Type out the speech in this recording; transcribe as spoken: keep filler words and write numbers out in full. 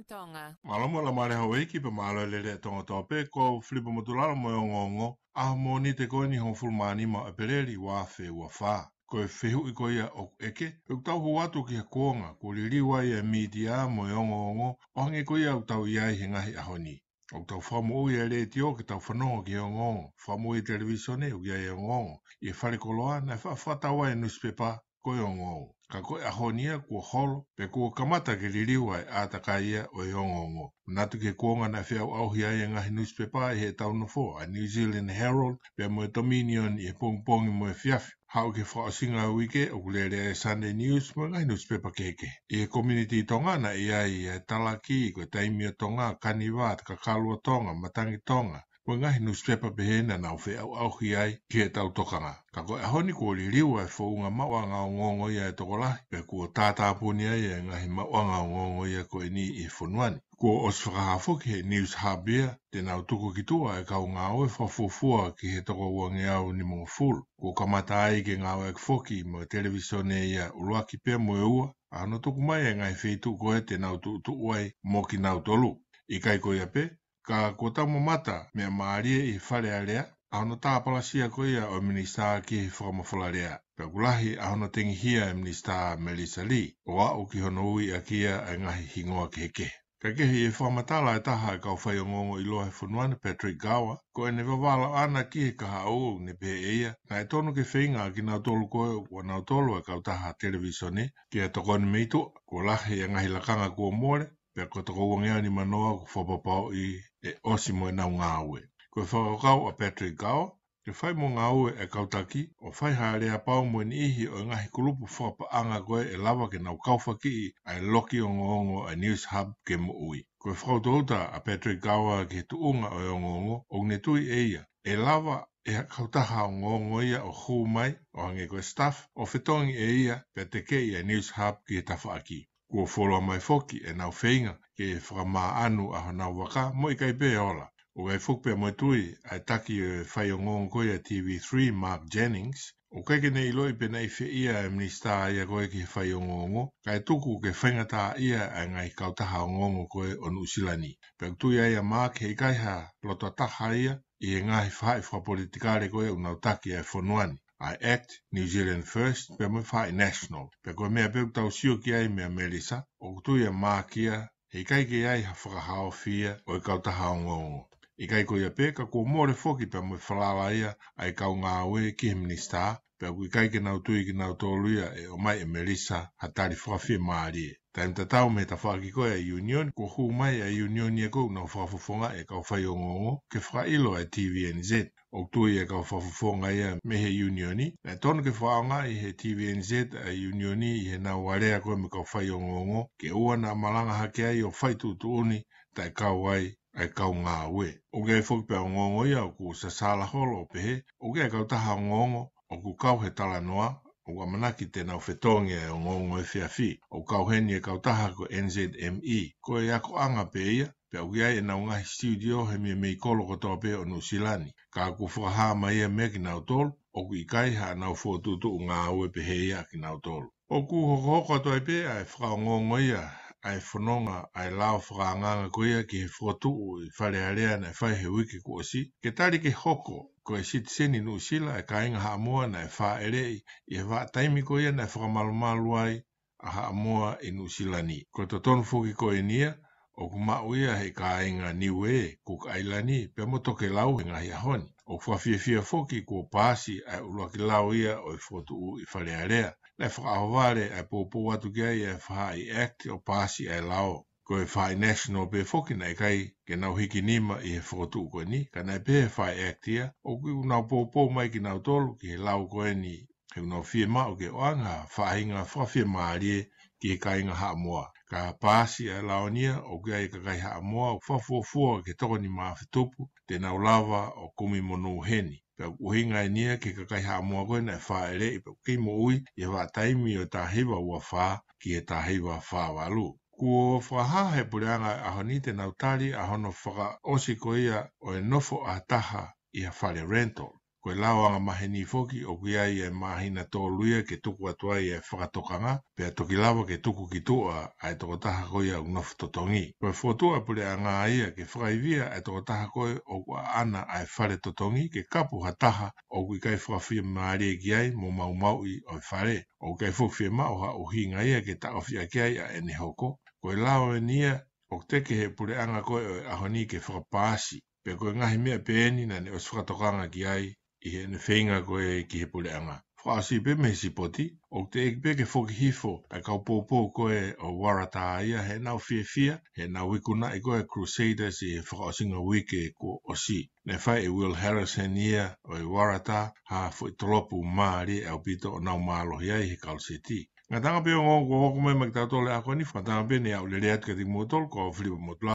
Tonga. Mālō mo e Laumālie Houʻeiki pea mālō e lelei ʻa Tonga kotoa pē, ko Filipa Motulalo mo e ongoongo ʻaho Mōnite ko eni hongofulu mā nima ʻo ʻEpeleli ua afe ua fā. Ko e fehuʻi ko ia ʻoku ʻeke, ʻoku tau hū atu ki he kuonga kuo liliu ai e mītia mo e ongoongo ʻo hangē ko ia ʻoku tau ʻi ai he ngaahi ʻaho ni. ʻOku tau fakamoʻui e letiō ke tau fanongo ki he ongoongo, fakamoʻui e televīsone ʻoku ʻi ai e ongoongo, ʻi he falekoloa naʻe fa-, fakatau ai e nusipepa ko e ongoongo. Ka ko e ʻaho ni ia kuo holo, pea kuo kamata ke liliu ʻa e ʻātakai ia ʻo e ongoongo. Manatu ki he kuonga naʻe feʻauʻauhi ai e ngaahi nusipepa ʻi heʻetau nofo, ʻa e New Zealand Herald pea mo e Dominion ʻi he pongipongi mo e efiafi. Haʻu ki he fakaʻosinga ʻo e uike ʻoku lele ai e Sunday News mo e ngaahi nusipepa kehekehe. ʻI he community Tonga naʻe ʻi ai e talaki, ko e Taimi ʻo Tonga, Kaniva, Kakalu ʻo Tonga, Matangi Tonga, mo e ngaahi nusipepa pehē naʻa nau feʻauʻauhi ai ki heʻetau tokanga. Ka ko e ʻaho ni kuo liliu ʻa e founga maʻuʻanga ongoongo ia ʻa e tokolahi, pea kuo tātāpuni ai e ngaahi maʻuʻanga ongoongo ia ko eni ʻi he fonua ni. Kuo ʻosi fakahā foki ʻe he News Hub ia te nau tuku ki tuʻa e kau ngāue fakafuofua ki he toko uangeau nimangofulu. Kuo kamata ai ke ngāueʻaki foki mo e televīsone ia ʻuluaki pea mo e ua, ʻa hono tuku mai e ngaahi feituʻu ko ē te nau tuʻutuʻu ai mo kinautolu. ʻIkai ko ia pē, ka kuo tau mamata meʻa mālie ʻi he Fale Alea, ʻa hono tāpalasia ko ia ʻo e Minisitā ki he Fakamafola Lea. Pea ʻoku lahi ʻa hono tengihia ʻe Minisitā Melissa Lee, ʻo aʻu ki hono ui ʻaki ia ʻa e ngaahi hingoa kehekehe. Kae kehe, ʻi he fakamatala ʻa e taha ʻo e kau faiongoongo ʻiloa he fonua ni, Patrick Gower, ko ʻene vavala ʻana ki he kahaʻu, ʻoku ne pehē ʻe ia, naʻe tonu ke feinga ʻa kinautolu ko ē ʻoku ʻanautolu ʻa e kautaha televīsone ke tokoni mei tuʻa. Kuo lahi e ngaahi lakanga kuo mole, pea ko e toko uangeau nimanoa kuo fakapapauʻi ʻe ʻosi mo ʻenau ngāue. Ko e fakakaukau ʻa Patrick Gower, ke fai mo ngāue e kau taki ʻo fai ha aleapau mo e niʻihi ʻo e ngaahi kulupu fakapaʻanga ko ē ʻe lava ke nau kaufakiʻi ʻa e loki ongoongo ʻa e News Hub ke moʻui. Ko e fakautauta ʻa Patrick Gower ki he tuʻunga ʻo e ongoongo, ʻoku ne tui ʻe ia ʻe lava ʻe ha kautaha ongoongo ia ʻo hū mai, ʻo hangē ko e Stuff, ʻo fetongi ʻe ia pea tekeʻi ʻa e News Hub ki he tafaʻaki. Kuo fuoloa mai foki ʻenau feinga ke fakamāʻanu ʻa honau vaka mo ʻikai pē ola. ʻOku ʻi ai foki pea mo e tui ʻa e taki ʻo e faiongoongo ko ia ʻa e TV three, Mark Jennings, ʻoku ʻikai ke ne ʻiloʻi pe naʻe fēfē ʻa e minisitā ia ko ē ki he faiongoongo, kae tuku ke faingataʻaʻia ʻa e ngaahi kautaha ongoongo ko ē ʻo Nuʻusila ni. Pea ʻoku tui ai ʻa Mark he ʻikai ha loto taha ia ʻi he ngaahi faʻahi fakapolitikale ko ē ʻoku nau taki ʻa e fonua ni, ʻa e ACT, New Zealand First, pea mo e faʻahi National. Pea ko e meʻa pē ʻoku tau sio ki ai meia Melissa, ʻoku tui ʻa Mark ia he ʻikai ke ʻi ai ha fakahaofi ia ʻo e kautaha ongoongo. ʻIkai ko ia pē, ka kuo mole foki pea mo e falala ia ʻa e kau ngāue ki he minisitā, pea ʻoku ʻikai ke nau tui kinautolu ia ʻe ʻomai ʻe Melissa ha tali fakafiemālie. Taimi tatau mei he tafaʻaki ko ē ʻa e Union, kuo hū mai ʻa e Union ia ko ē ʻoku nau fakafofongaʻi e kau faiongoongo ke fakaʻilo ʻa e TVNZ. ʻOku tui e kau fakafofonga ia mei he Union ni, naʻe tonu ke fakaʻaongaʻi ʻe he TVNZ ʻa e Union ni ʻi heʻenau alea ko ē mo e kau faiongoongo, ke ʻoua naʻa malanga hake ai ʻo fai tuʻutuʻuni taʻekau ai ʻa e kau ngāue. ʻOku ʻi ai foki pē ʻa e ongoongo ia ʻoku sasala holo ʻo pehē, ʻoku ʻi ai e kautaha ongoongo ʻoku kau he talanoa, ʻoku ʻamanaki te nau fetongi e ongoongo efiafi. ʻOku kau heni e kautaha ko e NZME, ko e akoʻanga pē ia, pea ʻoku ʻi ai ʻenau ngaahi studio he meimei kolo kotoa pē ʻo Nuʻusila ni. Ka kuo fakahā mai ia meia kinautolu, ʻoku ʻikai haʻanau fokotuʻutuʻu ngāue pehē ia ʻa kinautolu. ʻOku hokohoko atu ai pē ʻa e fakaongoongo ia ʻa e fononga ʻa e lao fakaangaanga ko ia ki he fokotuʻu ʻi Fale Alea naʻe fai he uike kuo ʻosi, ke tali ke hoko ko e sitiseni Nuʻusila ʻa e kāinga Haʻamoa naʻe fāʻeleʻi ʻi he vahaʻa taimi ko ia naʻe fakamalumalu ai ʻa Haʻamoa ʻi Nuʻusila ni. Ko e totonu foki ko eni ia, ʻoku maʻu ia ʻe he kāinga Niuē, Cook Island, pea mo Tokelau he ngaahi ʻaho ni. ʻOku fakafiefia foki kuo paasi ʻa e ʻuluaki lao ia ʻo e fokotuʻu ʻi Fale Alea. Naʻe fakaʻohovale ʻa e poupou atu ki ai ʻa e faʻahi ACT ʻo paasi ʻa e lao. Ko e faʻahi National pē foki naʻe ʻikai ke nau hiki nima ʻi he fokotuʻu ko eni, ka naʻe pehē ʻe he faʻahi ACT ia, ʻoku nau poupou mai kinautolu ki he lao ko eni, he ʻoku nau fiemaʻu ke ʻoange ha faʻahinga fakafiemālie ki he kāinga Haʻamoa. Ka paasi ʻa e lao ni ia, ʻoku ʻi ai e kakai Haʻamoa ʻoku fakafuofua ki he toko nima afe tupu te nau lava ʻo kumi monū heni. Pea ʻoku ʻuhinga eni ia ki he kakai Haʻamoa ko ē naʻe fāʻeleʻi pea ʻoku kei moʻui ʻi he vahaʻa taimi ʻo e taha hiva ua fā ki he taha hiva fā valu. Kuo fakahā ʻe he puleʻanga ʻo e ʻaho ni te nau tali ʻa hono fakaʻosi ko ia ʻo e nofo ʻa ha taha ʻi ha fale rental. Ko Ko e lao angamaheni foki ʻoku ʻi ai e māhina tolu ia ke tuku atu ai e fakatokanga, pea toki lava ke tuku ki tuʻa ʻa e tokotaha ko ia ʻoku nofo totongi. Ko e fokotuʻu ʻa e puleʻanga ia ke fakaivia ʻa e tokotaha ko ē ʻoku ʻaʻana ʻa e fale totongi ke kapu ha taha ʻoku ʻikai fakafiemālie ki ai mo maumauʻi ʻo e fale. ʻOku ʻikai foki fiemaʻu ha ʻuhinga ia ke taʻofi ʻaki ai ʻa ʻene hoko. Ko e lao eni ia ʻoku teke he puleʻanga ko ē ʻo e ʻaho ni ke fakapaasi. Pea ko e ngaahi meʻa pē eni naʻa ne ʻosi fakatokanga ki ai ʻi heʻene feinga ko ē ki he puleʻanga. Fakaʻosi pē mei he sipoti, ʻoku teʻeki pē ke foki hifo ʻa e kau poupou ko ē ʻo Waratā ia heʻenau fiefia, heʻenau ikunaʻi ko ē Crusaders ʻi he fakaʻosinga uike kuo ʻosi. Ne fai ʻe Will Harris heni ia ʻo e Waratā ha foʻi tolopu mālie ʻaupito ʻo nau mālohi ai he kaluseti. Ngataʻanga pē ongo ko ʻoku mai mai ki tautolu e ako ni, ngataʻanga pē ne aʻu lelei atu kiate kimoutolu, ko Filipa Motula.